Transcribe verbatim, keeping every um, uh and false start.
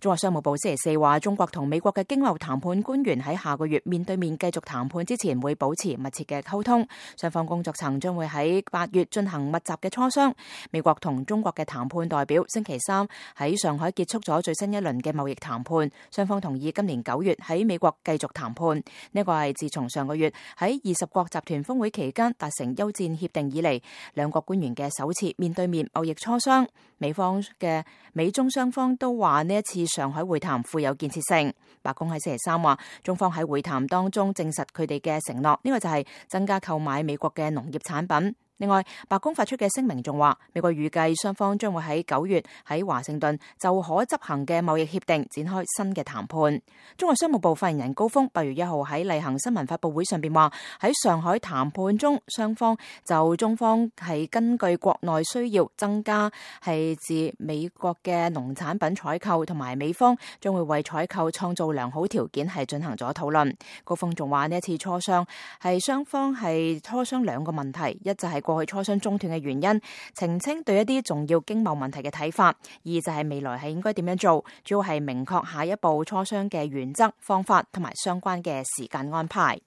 中國商務部星期四話，中國同美國嘅經貿談判官員喺下個月面對面繼續談判之前，會保持密切嘅溝通。雙方工作層將會喺八月進行密集嘅磋商。美國同中國嘅談判代表星期三喺上海結束咗最新一輪嘅貿易談判，雙方同意今年九月喺美國繼續談判。呢個係自從上個月喺二十國集團峰會期間達成休戰協定以嚟，兩國官員嘅首次面對面貿易磋商。美方嘅美中雙方都話呢一次上海會談富有建設性。白宮喺星期三話，中方喺會談當中證實佢哋嘅承諾，呢個就係增加購買美國嘅農業產品。另外，白宮發出嘅聲明仲話，美國預計雙方將會喺九月喺華盛頓就可執行嘅貿易協定展開新嘅談判。中國商務部發言人高峰八月一號喺例行新聞發佈會上邊話，喺上海談判中，雙方就中方係根據國內需要增加係自美國嘅農產品採購，同埋美方將會為採購創造良好條件係進行咗討論。高峰仲話呢一次磋商係雙方係磋商兩個問題，一就係過去磋商中斷嘅原因，澄清對一啲重要經貿問題嘅睇法；二就係未來係應該點樣做，主要係明確下一步磋商嘅原則、方法同埋相關嘅時間安排。